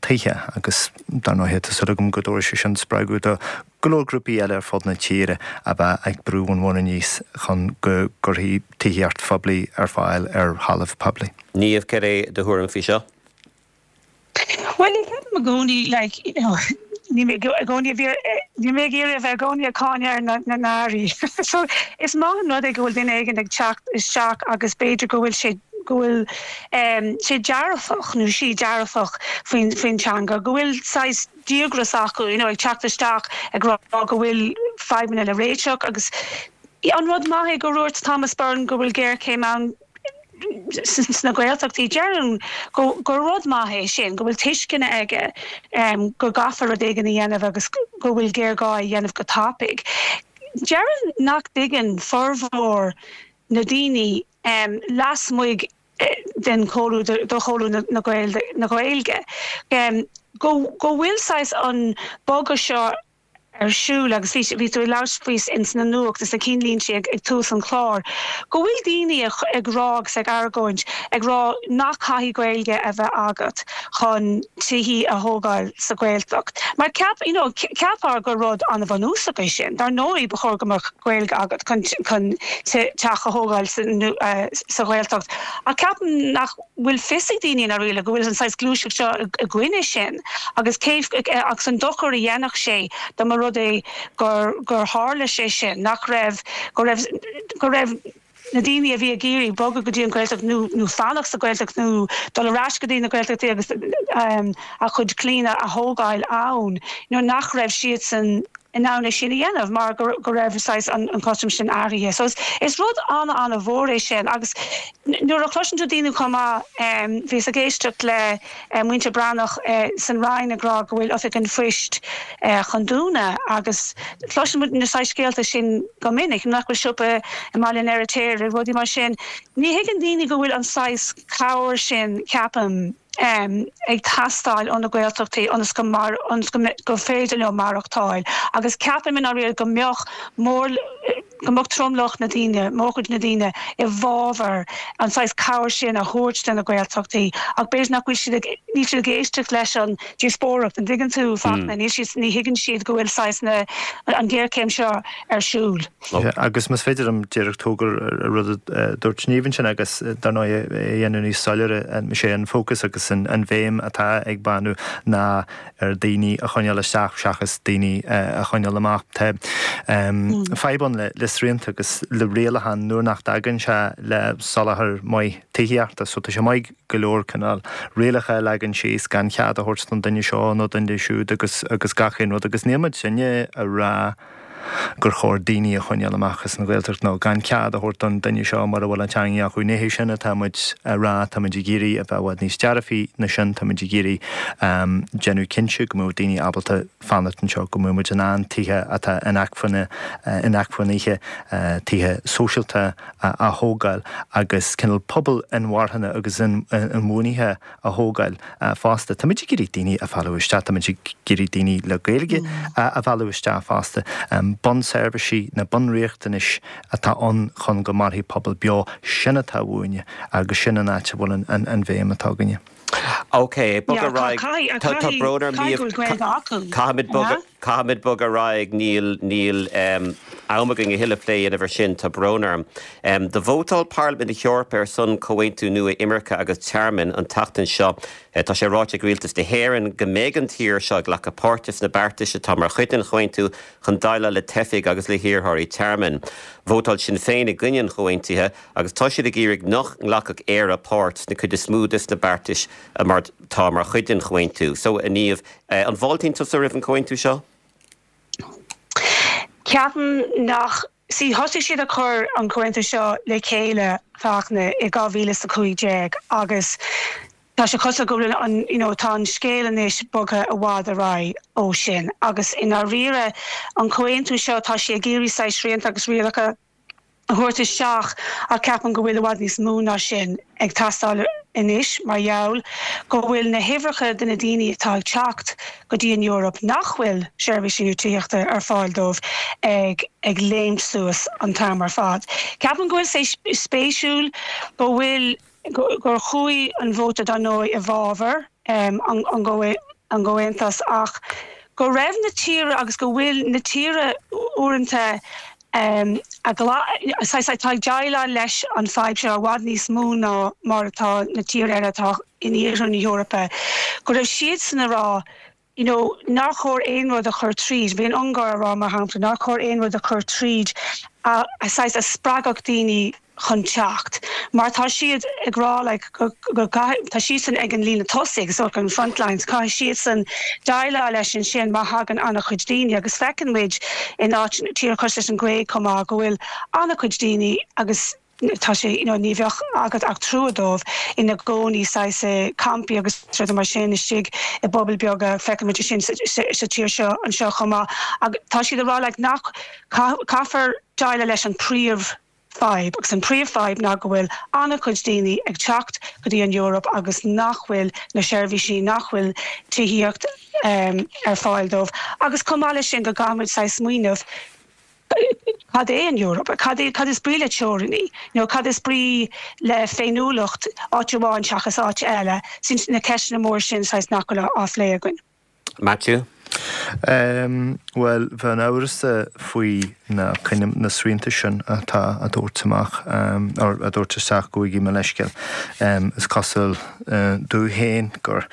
tithe agus dar ndóighe tá súil agam go dtabharfaidh sé sin spreagadh do go leor grúpaí eile ar fud na tíre a bheith ag brú an bhun aníos chun go gcuirfí tithíocht phoiblí ar fáil ar thalamh poiblí. Niamh, cad é do thuairim faoi seo? Bhuel, ní ceapaim i gcónaí, like, you know, níl mé i gcónaí, níl mé ag iarraidh a bheith i gcónaí ag cáineadh ar na n-airí. So, is maith an rud é go bhfuil duine éigin ag teacht isteach agus b'fhéidir go bhfuil sé, go bhfuil sé dearfach nó sí dearfach faoin, faoin teanga, go bhfuil saghas díograis acu, you know, ag teacht isteach ag rá go bhfuil fadhbanna le réiteach agus an rud maith é gur dhúirt Thomas Byrne go bhfuil géarchéim ann, sna Gaeltachtaí. Déarfainn gur rud maith é sin, go bhfuil tuiscint aige go gcaithfear rud éigin a dhéanamh agus go bhfuil géarghá é a dhéanamh go tapaidh. Déarfainn nach dtuigeann formhór na daoine lasmuigh den chomhluadar, de chomhluadar na Gaeilge go bhfuil saghas an bogadh seo ar siúl agus bhí bhí tú ag labhairt faoi ins na nuacht is na cinnlínte ag ag tús an chláir go bhfuil daoine ag ag rá agus ag argóint ag rá nach caithfidh Gaeilge a bheith agat chun tithí a thógáil sa Ghaeltacht mar ceap you know cheapfá gur rud an-bhunúsach é sin dar ndóigh ba chóir go mbeadh Gaeilge agat chun chun teach a thógáil sa sa Ghaeltacht ach ceapaim nach bhfuil fios ag daoine i ndáiríre go bhfuil an saghas gluaiseacht seo i gcoinne sin agus cé agus an dochar a dhéanfadh sé dá mba rud é gur gur tharla sé sin, nach raibh, go raibh, go raibh na daoine a bhí ag iarraidh bogadh go dtí an Ghaeltacht nó nó fanacht sa Ghaeltacht nó dul ar ais go dtí na Gaeltachtaí agus a gcuid clainne a thógáil ann, nó nach raibh siadsan in ann é sin a dhéanamh mar go raibh saghas an cothrom sin athraithe. So is rud an-an-mhór é sin agus nuair a chloiseann tú daoine chomh maith, bhíos ag éisteacht le Muintir Breathnach san Rinn ag rá go bhfuil Oifig an Phoist chun dúnadh agus cloiseann muid na saghas scéalta sin go minic, nach bhfuil siopa i mBaile an Fheirtéaraigh, rudaí mar sin. Ní thuigeann daoine go bhfuil an saghas cabhair sin, ceapaim. ag teastáil ó na Gaeltachtaí ionas go ionas go gur féidir leo maireachtáil agus ceapaim i ndáiríre go mbeadh mór go mbeadh tromlach na daoine, mórchuid na daoine i bhfabhar an saghas cabhair sin a thabhairt do na Gaeltachtaí ach b'fhéidir nach bhfuil siad ag níl siad ag éisteacht leis an díospóireacht, an dtuigeann tú, Fachtna, níl siad ní thuigeann siad go bhfuil saghas na an ghéarchéim seo ar siúl. Agus más féidir liom díreach tógáil ar rud a dúirt Niamh ansin agus dar ndóigh é a dhéanamh níos soiléire, is é an fócas agus. agus an bhéim atá ag Bánú ná ar daoine a choinneáil isteach seachas daoine a choinneáil amach. Tá fadhb ann le srianta agus le rialacháin nuair nach dtagann sé le soláthar maith tithíochta so tá sé maith go leor cineál rialacha a leagan síos gan cead a thabhairt don duine seo nó don duine siúd agus agus gach aon rud agus níl muid sinne a rá gur chóir daoine a choinneáil amach as an Ghaeltacht nó gan cead a thabhairt don duine seo mura bhfuil an teanga acu. Ní hé sin atá muid a rá, tá muid ag iarraidh a bheith i bhfad níos dearfaí ná sin, tá muid ag iarraidh déanamh cinnte go mbeadh daoine ábalta fanacht anseo, go mbeadh muid in ann tithe atá inacmhainne, inacmhainithe, tithe sóisialta a thógáil agus cineál pobal inmharthana agus inbhuanaithe a thógáil fosta. Táimid ag iarraidh daoine a mhealladh isteach, táimid ag iarraidh daoine le Gaeilge a mhealladh isteach fosta. Bunseirbhísí, na bunriachtanais atá ann chun go mairfidh pobal beo, sin atá uainne agus sin an áit a bhfuil an bhéim atá againne. Ok, bog ar aghaidh. Tá brón orm, Niamh, caithfimid bogadh. Caithfimid bogadh ar aghaidh, níl, níl am againn a thuilleadh plé a dhéanamh ar sin, tá brón orm. Do vótáil Parlaimint na hEorpa ar son comhaontú nua imirce agus tearmainn an tseachtain seo. Tá sé ráite ag Rialtas na hÉireann go mbeidh an tír seo ag glacadh páirte sna beartais atá mar chuid den chomhaontú chun déileáil le teifigh agus le hiarrthóirí tearmainn. Vótáil Sinn Féin i gcoinne an chomhaontaithe agus tá siad ag iarraidh nach nglacfadh Éire páirt sna cuid is mó des na beartais atá mar chuid den chomhaontú. So, a Niamh, An bhfáiltíonn tusa roimh an chomhaontú seo? Ceapaim nach. See, thosaigh siad ag cur an comhaontú seo le chéile, Fachtna, i 2015 agus tá sé cosúil go bhfuil an, you know, tá an scéal anois bogtha i bhfad ar aghaidh ó sin agus i ndáiríre an comhaontú seo tá sé ag iarraidh saghas srianta agus rialacha a thabhairt isteach ach ceapaim go bhfuil i bhfad níos mó ná sin ag teastáil anois mar gheall go bhfuil na huimhreacha de na daoine atá ag teacht go dtí an Eoraip nach bhfuil seirbhísí nó tithíochta ar fáil dóibh ag ag léimt suas an t-am ar fad. Ceapaim go bhfuil sé spéisiúil go bhfuil gur chuaigh an vóta dar ndóigh i bhfabhar an gcomhaontais ach go raibh na tíortha agus go bhfuil na tíortha uaireanta a saghas atá ag déileáil leis an fadhb seo i bhfad níos mó ná mar atá na tíortha eile atá in iarthar na hEorpa, go raibh siadsan a rá you know nár chóir aon rud a chur tríd, bhí an Ungáir a rá mar shampla nár chóir aon rud a chur tríd a saghas a spreagfadh daoine chun teacht mar tá siad ag rá like go go gcaithfidh, tá siadsan ag an líne tosaigh so an front lines, caithfidh siadsan déileáil leis ansin má thagann an-chuid daoine agus feiceann muid in áit, tíortha cosúil leis an Ghréig chomh maith go bhfuil an-chuid daoine agus. tá sé, you know, ní bheadh agat ach trua dóibh, ina gcónaí saghas i campaí agus rudaí mar sin istigh i bpobail beaga, feiceann muid é sin sa tír seo anseo chomh maith. Ach tá siad ag rá like nach, caithfear déileáil leis an príomh fadhb agus an príomh fadhb ná go bhfuil an-chuid daoine ag teacht go dtí an Eoraip agus nach bhfuil na seirbhísí, nach bhfuil tithíocht ar fáil dóibh agus chomh maith leis sin go gcaithfidh muid saghas smaoineamh Cad é an Eoraip? Cad é, cad is brí le teorainní? Nó cad is brí le féiniúlacht áit amháin seachas áit eile? Sin na ceisteanna móra sin saghas nach bhfuil á phlé againn. Matthew? Bhuel, bheinn amhrasach faoi na, na srianta sin atá á dtabhairt amach, or á dtabhairt isteach, gabhaigí mo leithscéal. Is cosúil domh féin gur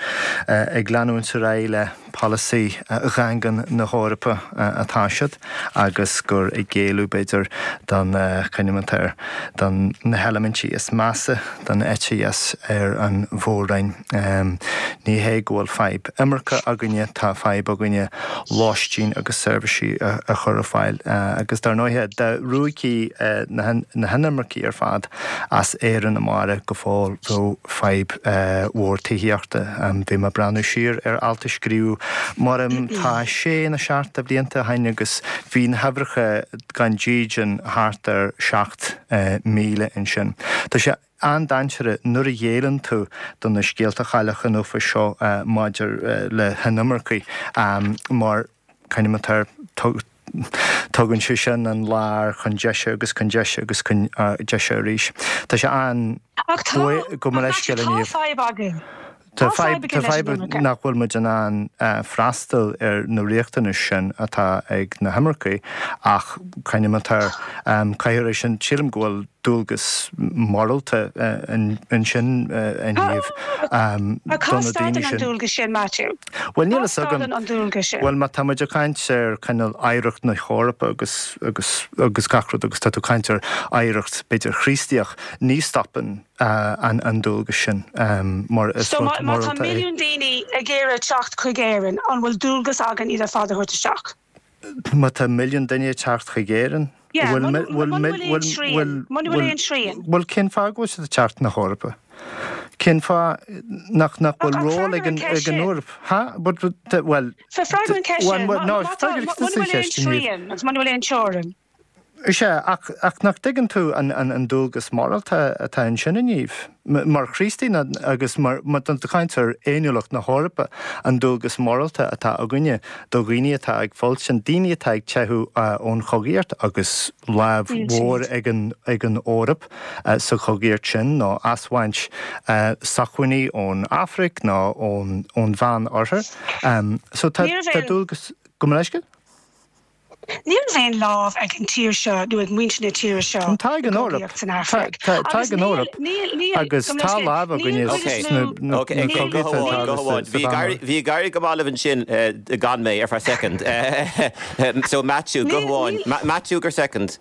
ag leanúint ar aghaidh le polasaí dhaingean na hEorpa atá siad agus gur ag géilleadh, b'fhéidir, don, c'ainm atá air, don na heilimintí is measa den eite dheis ar an mhór-roinn. Ní hé go bhfuil fadhb imirce againne, tá fadhb againne lóistín agus seirbhísí a chur ar fáil agus dar ndóighe, dá ruaigfí na hinimircigh ar fad as Éirinn amárach go fóill bheadh fadhb mhór tithíochta. Bhí mé ag breathnú siar ar alt a scríobhadh maram tá sé nó seacht de bhlianta ó shin agus bhí na huimhreacha gan dídean thart ar 7,000 ansin. Tá sé an-dainséarach nuair a ghéilleann tú do na scéalta Chailleach an Uafáis seo maidir le hinimircigh mar c'ainm atá air, tugann sé sin an láir chun deise agus chun deise agus chun deise arís. Tá sé an. Ach tá, Gabh mo leithscéal tá fadhb againn. Tá fadhb fadhb nach bhfuil muid in ann freastal ar na riachtanais sin atá ag na himircigh ach caithfidh caithfear é sin, sílim go bhfuil dualgas morálta ansin a Niamh do na daoine sin. dualgas sin, Matthew? Bhuel níl fhios agam. an dualgas sin? Bhuel má tá muid ag caint ar cineál oidhreacht na hEorpa agus agus agus gach rud agus tá tú ag caint ar oidhreacht b'fhéidir Chríostaíoch, ní stopann an dualgas sin mar is rud morálta é. So má tá milliún daoine ag iarraidh teacht chuig Éirinn, an bhfuil dualgas againn iad ar fad a thabhairt isteach? Má tá milliún duine ag teacht chuig Éirinn, bhfuil aon srian? Bhuel, cén fáth go bhfuil siad ag teacht na hEorpa? Cén fáth nach bhfuil ról ag an Eoraip? Ha? Bhuel, Freagair an cheist sin. Muna bhfuil aon srian agus muna bhfuil aon teorainn. Sea, ach, ach nach dtuigeann tú an, an, an dualgas morálta atá ansin, a Niamh? Mar Chríostaí agus mar, má tá tú ag caint ar fhéiniúlacht na hEorpa, an dualgas morálta atá againne do dhaoine atá ag fulaingt, daoine atá ag teitheadh ón chogaíocht agus lámh mhór ag an, ag an Eoraip sa chogaíocht sin, nó asbhaint sócmhainní ón Afraic nó ón, ón Mheán-Oirthear. So tá, tá dualgas, gabh mo leithscéal? Ní raibh aon lámh ag an tír seo nó ag muintir na tíre seo Tá ag an Eoraip. san Afraic. Tá ag an Eoraip. Agus tá lámh againne sna cogaí atá sa Mheánoirthear. Bhí ag éirí go maith libh ansin gan mé ar feadh soicind. So Maitiú, guth amháin. Maitiú gur soicind.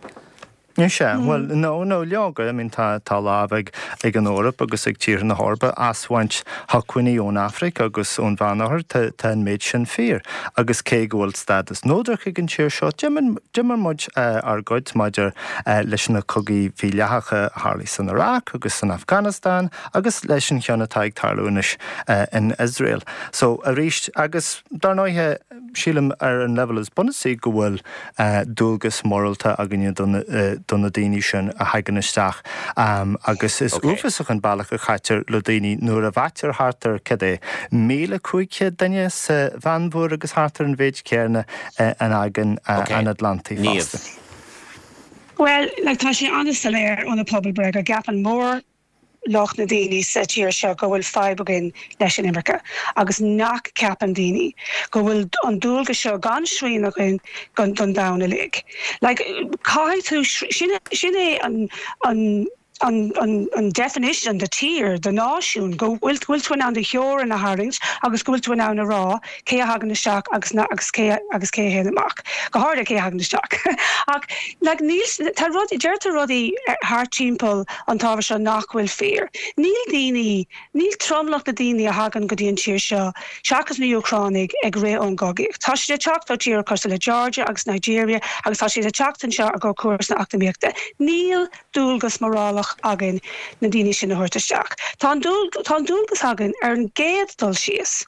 Sea, bhuel, no, no, leoga, I mean, tá, tá lámh ag, ag an Eoraip agus ag tíortha na hEorpa asbhaint shócmhainní ón Afraic agus ón Mheánoirthear, tá, tá an méid sin fíor. Agus cé go bhfuil stádas neodrach ag an tír seo, d'imir, d'imir muid ár gcuid maidir leis na cogaí mhídhleathacha a tharlaigh san Iraq agus san Afganastáin agus leis an cheann atá ag tarlú anois in Iosrael. So, arís, agus dar ndóighe, sílim ar an leibhéal is bunúsaí go bhfuil dualgas morálta againne do na daoine sin a thagann isteach agus is uafásach an bealach a chaitear le daoine nuair a bhaitear thart ar, cad é, 1,500 duine sa Mheánmhuir agus thart ar an mhéid céanna in Aigéan an Atlantaigh fosta. Bhuel, like, tá sé an-soiléir ó na pobalbhreith go gceapann mór lucht na daoine sa tír seo go bhfuil fadhb againn leis an imirce agus nach gceapann daoine go bhfuil an dualgas seo gan srian againn don domhan uilig. Like, caithfidh tú, sin, sin é an, an, an, an, an definition de tír, de náisiún, go bhfuil, go bhfuil tú in ann do theorainn a tharraingt agus go bhfuil tú in ann a rá cé a thagann isteach agus na, agus cé, agus cé a théann amach. Go háirithe cé a thagann isteach. Ach, like, níl, tá rudaí, deirtear rudaí thart timpeall an t-ábhar seo nach bhfuil fíor. Níl daoine, níl tromlach na daoine a thagann go dtí an tír seo, seachas na Úcránaigh, ag rith ón gcogaíocht. Tá siad ag teacht ó tíortha cosúil le Georgia agus Nigeria agus tá siad ag teacht anseo i gcomhair cúrsaí eacnamaíochta. Níl dualgas morálach againn na daoine sin a thabhairt isteach. Tá an dualgas againn ar an gcéad dul síos.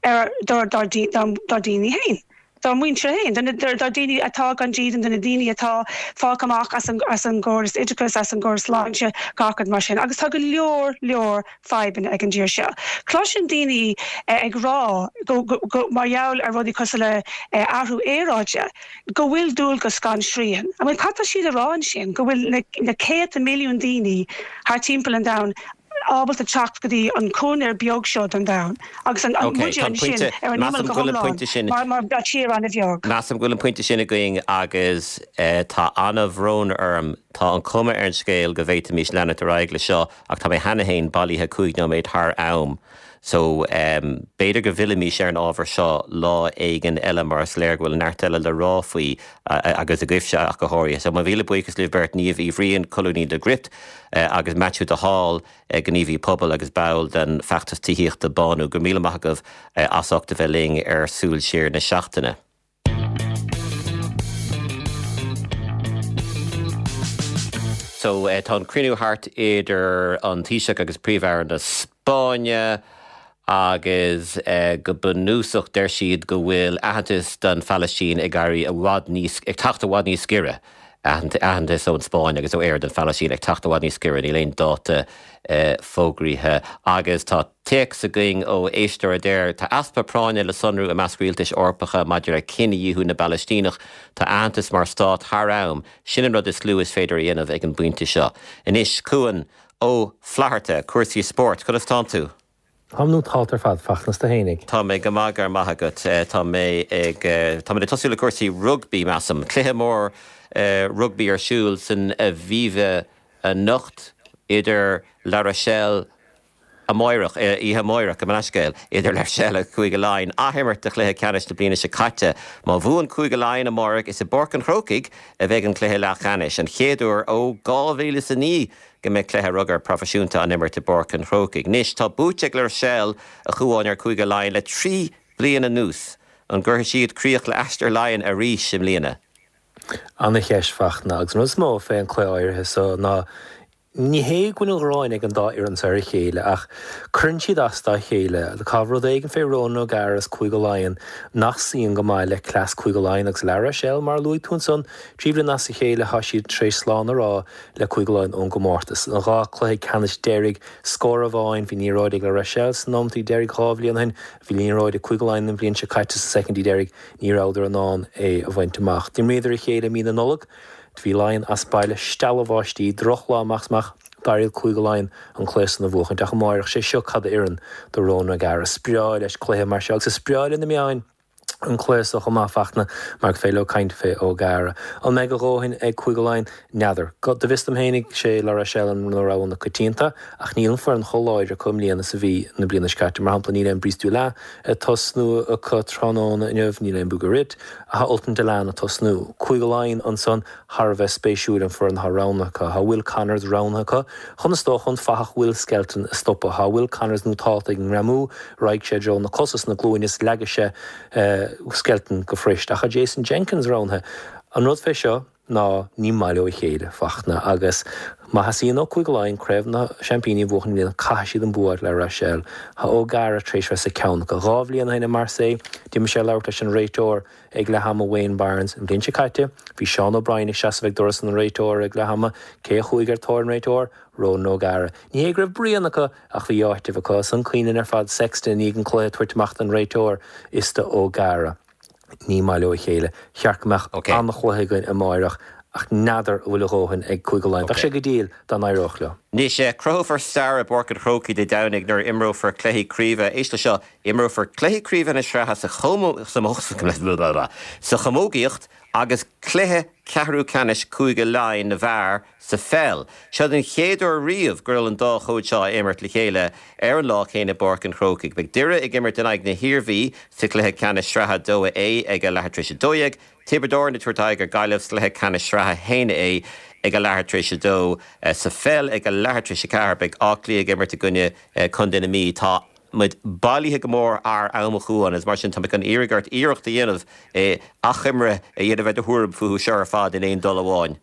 ar dár ndaoine féin, dár muintir féin, dár ndaoine atá gan dídean, do na daoine atá fágtha amach as an gcóras oideachais, as an gcóras sláinte, gach rud mar sin. Agus tá go leor, leor fadhbanna ag an dtír seo. Cloisim daoine ag rá go, mar gheall ar rudaí cosúil le athrú aeráide, go bhfuil dualgas gan srian. I mean, cad tá siad a rá ansin? Go bhfuil na céadta milliún daoine thar timpeall an domhain ábalta teacht go dtí an coirnéal beag seo den domhan agus an Ok, muide tá an ansin pointe, ar an imeall measaim go go bhfuil an hiomlán pointe sin, mar mar tír an-bheag. measaim go bhfuil an pointe sin againn agus tá an-bhrón orm, tá an chuma ar an scéal go bhféadfaimis leanacht ar aghaidh le seo ach tá mé cheana féin bailithe 5 nóiméad thar am so b'fhéidir go bhfillfimis ar an ábhar seo lá éigin eile mar is léir go bhfuil neart eile le rá faoi agus agaibhse ach go háirithe. So mo mhíle buíochas libh beirt, Niamh Uí Bhriain, colúnaí le Gript. agus Maitiú de Hál, gníomhaí pobail agus ball den feachtas tithíochta Bánú. Go raibh míle maith agaibh as ucht a bheith linn ar Súil Siar na Seachtaine. So, tá an cruinniú thart idir an Taoiseach agus Príomh-Aire na Spáinne agus go bunúsach deir siad go bhfuil aitheantas don Phalaistín ag éirí i bhfad níos, ag teacht i bhfad níos giorra. Aitheantas ón Spáinn agus ó Éire don Phalaistín ag teacht i bhfad níos giorra, níl aon dáta fógraithe. Agus tá téacs againn ó éisteoir a deir, Tá easpa práinne le sonrú i measc rialtais Eorpacha maidir le cinedhíothú na bPalaistíneach. Tá aitheantas mar stát thar am, sin an rud is lú is féidir a dhéanamh ag an bpointe seo. Anois, Cuan Ó Flatharta, cúrsaí spóirt, conas tánn tú? Táim nótálta ar fad, Fachtna, 's tú fhéinig. Tá mé go maith, go raibh maith agat. Tá mé ag, tá muid ag tosú le cúrsaí rugbaí, measaim. Cluiche mór rugbaí ar siúl san Aviva anocht idir La Rochelle, amáireach, oíche amáireach, gabh mo leithscéal, idir La Rochelle agus Cúige Laighean. Athimirt de chluiche ceannais na bliana seo caite. Má bhuann Cúige Laighean amáireach, is i bPáirc an Chrócaigh a bheidh an cluiche leathcheannais, an chéad uair ó 2009 go mbeidh cluiche rugair proifisiúnta á imirt i bPáirc an Chrócaigh. Anois, tá buaite ag La Rochelle, a Chuáin, ar Chúige Laighean le 3 bliana anuas. An gcuirfidh siad críoch le aistear Laighean arís i mbliana? Ana-cheist, Fachtna, agus an rud is mó fé an cluiche áirithe so ná ní hé go bhfuil an ghráin ag an dá fhoireann so ar a chéile ach cuireann siad as dá chéile. Tá rud éigin fé Ronan O'Gara is Cúige Laighean nach suíonn go maith le cleas Cúige Laighean agus La Rochelle, mar a luaigh tú ansan, 3 bhliain as a chéile tá siad tar éis slán a rá le Cúige Laighean ón gcomórtas. An 2 cluiche ceannais deiridh, scór amháin, bhí an liathróid ag La Rochelle sna nóimeataí deiridh 2 bhliain ó shin, bhí an liathróid ag Cúige Laighean an bhliain seo caite sna soicindí deiridh, ní rabhadar in ann é a bhaint amach. D'imríodar a chéile i mí na Nollag, bhí Laighean as baile, stealladh bháistí, drochlá amach is amach, d'éirigh le Cúige Laighean an cluiche san a bhuachaint ach amáireach, sé seo cad a oireann do Ronan O'Gara. Is breá leis cluiche mar seo agus is breá le na meáin. an cluiche so chomh maith, Fachtna, mar gur féidir leo caint fé O'Gara. An mbeidh a dhóthain ag Cúige Laighean? N'fheadar. Go bhfios dom fhéinig, sé La Rochelle an rogha na coitianta, ach níl an foireann chomh láidir acu i mbliana is a bhí na bliana seo caite. Mar shampla, níl aon Brice Dulin ag tosnú acu tráthnóna inniu, níl aon Bourgarit, tá Ultan Dillane ag tosnú. Cúige Laighean ansan, thar a bheith spéisiúil an foireann atá roghnaithe acu. Tá Will Connors roghnaithe acu chun is dócha an fathach Will Skelton a stopadh. Tá Will Connors nótálta ag an ngreamú, raghaidh sé i dtreo na cosa is na glúine is leagfaidh sé Skelton go fuirist. Ach tá Jason Jenkins roghnaithe. An rud fé seo ná ní maith leo a chéile, Fachtna, agus má theastaíonn ó Cúige Laighean Craobh na Seaimpíní a bhuachan i mbliana caithfidh siad an bua a fháil ar La Rochelle. Tá O'Gara tar éis bheith sa ceann acu. 2 bhliain ó shin i Marseille d'imigh sé ag labhairt leis an réiteoir Ag leath ama Wayne Barnes an bhliain seo caite, bhí Seán O'Brien ag seasamh ag doras an réiteora ag leath ama. Cé a chuaigh ar tóir an réiteoir? Ronan O'Gara. Ní hé go raibh bruíon acu ach bhí áiteamh acu. Is an cuimhin linn ar fad Sexton i ndiaidh an cluiche ag tabhairt amach don réiteoir is do O'Gara. Ní maith leo a chéile. Cheart go mbeadh an-chluiche againn amáireach ach n'fheadar an bhfuil a dhóthain ag Cúige Laighean. Bheadh sé go diail dá n-éireodh leo. Anois, cruthófar stair i bPáirc an Chrócaigh Dé Domhnaigh nuair a imreofar cluichí craoibhe, éist le seo, Imreofar cluichí craoibhe na sraithe sa sa chamógaíocht agus cluiche ceathrú ceannais Cúige Laighean na bhfear sa pheil. Seo den chéad uair riamh go bhfuil an dá chód seo á imirt le chéile ar an lá céanna i bPáirc an Chrócaigh. Beidh Doire ag imirt in aghaidh na hIarmhí sa chluiche ceannais sraithe 2A ag a leathuair tar éis 12. Tiobraid Árann ag tabhairt aghaidh ar Gaillimh sa chluiche ceannais sraithe 1A ag a leathuair tar éis 2. Sa pheil ag a leathuair tar éis 4 beidh Áth Cliath ag imirt i gcoinne Contae na Mí. Tá. muid bailithe go mór thar am a Chuáin agus mar sin tá mé chun iarraidh ort iarracht a dhéanamh achoimre a dhéanamh ar do thuairim fúthu seo ar fad in aon dul amháin.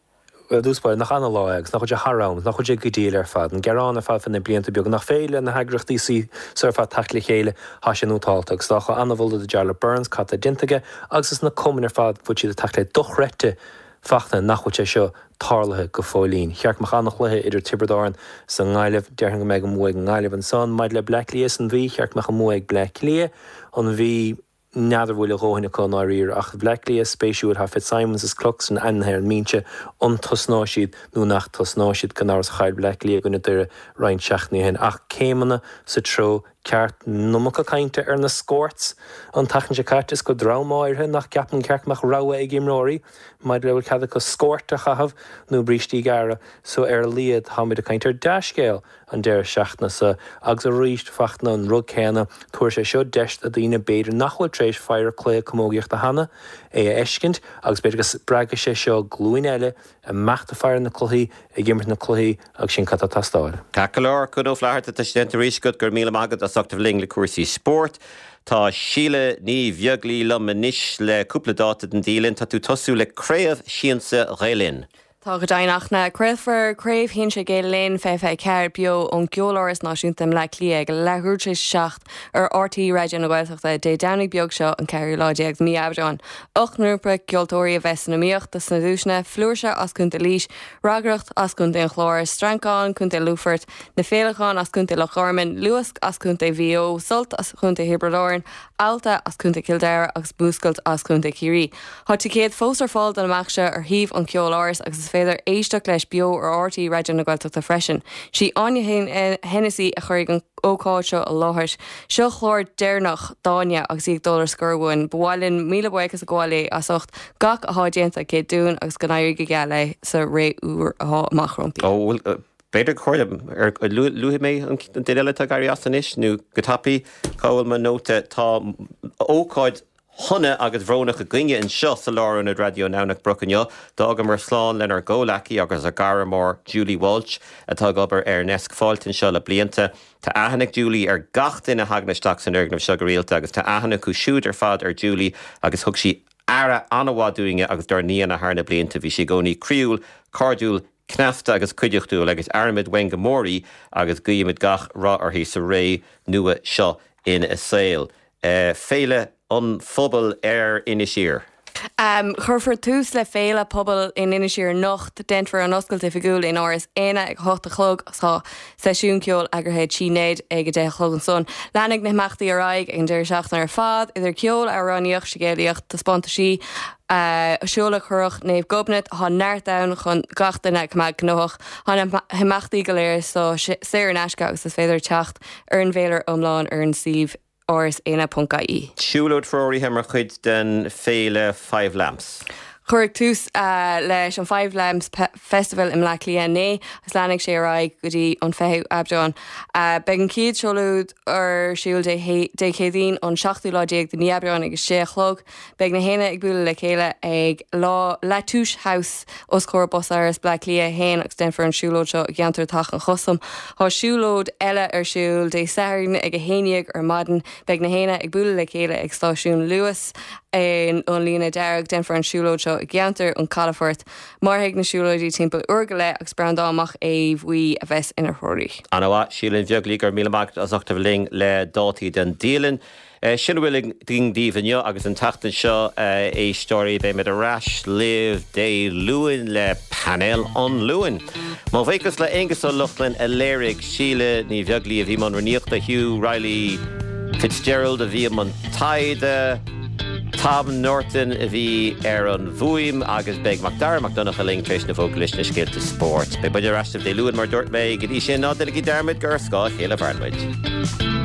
Bhuel, i dtús báire, nach ana-lá é agus nach bhfuil sé thar am agus nach bhfuil sé go diail ar fad, an gearán ar fad fé na blianta beaga nach féidir le na heagraíochtaí seo ar fad teacht le chéile, tá sé nótálta agus dá ana-mholadh do Jarlath Burns cad tá déanta aige agus is na cumainn ar fad bhfuil siad ag teacht le dochreidte Fachtna nach bhfuil sé seo tarlaithe go fóillín. Cheart go mbeadh an-chluiche idir Tiobraid Árann is an nGaillimh. Déarfainn go mbeidh an bua ag an nGaillimh ansan. Maidir le Bleá Cliath is an Mhí, cheart go mbeadh an bua ag Bleá Cliath. An Mhí, n'fheadar bhfuil a dhóthain acu i ndáiríre. Ach Bleá Cliath, spéisiúil, tá Fitzsimons is Cluxton ainmnithe ar an mbinse. An tosnóidh siad nó nach tosnóidh siad? Gan amhras chaill Bleá Cliath i gcoinne Doire roinnt seachtainí ó shin. Ach céimeanna sa treo ceart. An iomarca cainte ar na scorts an tseachtain seo caite is go dream áirithe nach gceapann gur cheart go mbeadh rogha ag imreoirí maidir le bhfuil cead acu scort a chaitheamh nó brístí gearra so ar a laghad táimid ag caint ar dea-scéal an deireadh seachtaine seo agus arís Fachtna an rud céanna tabharfaidh sé seo deis do daoine b'fhéidir nach bhfuil tar éis faire cluiche camógaíochta cheana é a fheiscint agus b'fhéidir go spreagfaidh sé seo glúin eile amach ag faire na cluichí, ag imirt na cluichí agus sin cad tá ag teastáil. Ceart go leor, Cuan Ó Flatharta, tá sé déanta arís agat, go raibh míle maith agat as ucht a bheith linn le cúrsaí spóirt. Tá Síle Ní Bheaglaoi liom anois le cúpla dáta den dialann. Tá tú ag tosú le Craobh Siansa Ghael Linn. Tá go deimhin a Fhachtna. Craolfar Craobh Shinsir Gael Linn 2024 beo ón gCeoláras Náisiúnta i mBleá Cliath ag leathuair tar éis a 7 ar RTÉ Raidió na Gaeltachta Dé Domhnaigh beag seo an ceathrú lá déag de mhí Aibreáin. 8 ngrúpa ceoltóirí a bheas san iomaíocht dos na duaiseanna, Flúirse as Contae Laois, Raggaireacht as Contae an Chláir, Streancán, Contae Lúfoirt, Na Féileacáin as Contae Loch Garman, Luasc as Contae Mhaigh Eo, Sult as Contae Thiobraid Árann. Ealta as Contae Chill Dara agus Múscailt as Contae Chiarraí. Tá ticéid fós ar fáil don imeacht seo ar shuíomh an Cheolárais agus is féidir éisteacht leis beo ar RTÉ Raidió na Gaeltachta freisin. Sí Áine Hennessy a chuirfidh an ócáid seo i láthair. Seo clár deireanach d'Áine agus í ag dul ar scor uainn. Ba mhaith linn míle buíochas a ghabháil léi as ucht gach athá déanta aici dúinn agus go n-éirí go geal léi sa ré úr athá amach roimpi. Ó, bhuel, b'fhéidir gur chóir dom, ar luaigh mé an duine eile atá ag éirí as anois, nó go tapaidh, cá bhfuil mo nóta, tá ócáid shona agus bhrónach againne anseo sa Lárionad Raidió i nDomhnach Broc inniu. D'fhágamar slán lenár gcomhleacaí agus ár gcara mór Julie Walsh atá ag obair ar ndeasc Fáilte anseo le blianta. Tá aithne ag Julie ar gach duine a thagann isteach san fhoirgneamh seo go rialta agus tá aithne acu siúd ar fad ar Julie agus thug sí aire an-mhaith dúinne agus dár n-aíonna thar na blianta. Bhí sí i gcónaí croíúil, cairdiúil, cneasta agus cuideachtúil agus airímid uainn go mór í agus guímid gach rath uirthi sa ré nua seo ina saol. Féile an Phobail ar Inis Oírr. Cuirfear tús le Féile Pobail in Inis Oírr anocht. Déanfar an oscailt oifigiúil in Áras Éanna ag 8 a chlog agus tá seisiún ceoil eagraithe ag Tí Ned ag 10 a chlog ansan. Leanfaidh na himeachtaí ar aghaidh ag an deireadh seachtaine ar fad, idir ceol, amhránaíocht, scéalaíocht, taispeántaisí, seoladh Curach Naomh Gobnait, tá neart ann chun gach duine a choimeád gnóthach. Tá na himeachtaí go léir saor in aisce agus is féidir teacht ar an bhféilire iomlán ar an suíomh áraséanna.ie. Siúlóid threoraithe mar chuid den Féile Five Lamps. Cuireadh tús leis an Five Lamps Festival i mBleá Cliath inné agus leanfaidh sé ar aghaidh go dtí an 20ú Aibreán. Beidh an chéad siúlóid ar siúl Dé Céadaoin an seachtú lá déag de mhí Aibreán ag a sé a chlog. Beidh na haíonna ag bualadh le chéile ag La Touche House os comhair Bus Áras Bleá Cliath 1 agus déanfar an siúlóid seo i gceantar Teach an Chustaim. Tá siúlóid eile ar siúl Dé Sathairn ag 11 ar maidin. Beidh na haíonna ag bualadh le chéile ag stáisiún Luas an Líne Dearg. Déanfar an siúlóid seo i gceantar an Calafoirt. Mairfidh na siúlóidí timpeall uair go leith agus Breandán Mac Aodha Bhuí a bheas ina threoraí. Ana-mhaith, Síle Ní Bheaglaoich, go raibh míle maith agat as ucht a bheith linn le dátaí den dialann. Sin a bhfuil againn daoibh inniu agus an tseachtain seo, a éisteoirí. Beimid ar ais libh Dé Luain le Painéal an Luain. Mo bhuíochas le Aengus Ó Lochlainn a léirigh, Síle Ní Bheaglaoich a bhí i mbun rúnaíochta, Hugh Reilly Fitzgerald a bhí i mbun taighde, Tom Norton a bhí ar an bhfuaim agus beidh Macdara Mac Donncha linn tar éis na bhfógraí leis na scéalta spóirt. Beidh muid ar ais libh Dé Luain mar a dúirt mé. Go dtí sin, ná déanaigí dearmad gur ar scáth a chéile a mhaireann muid.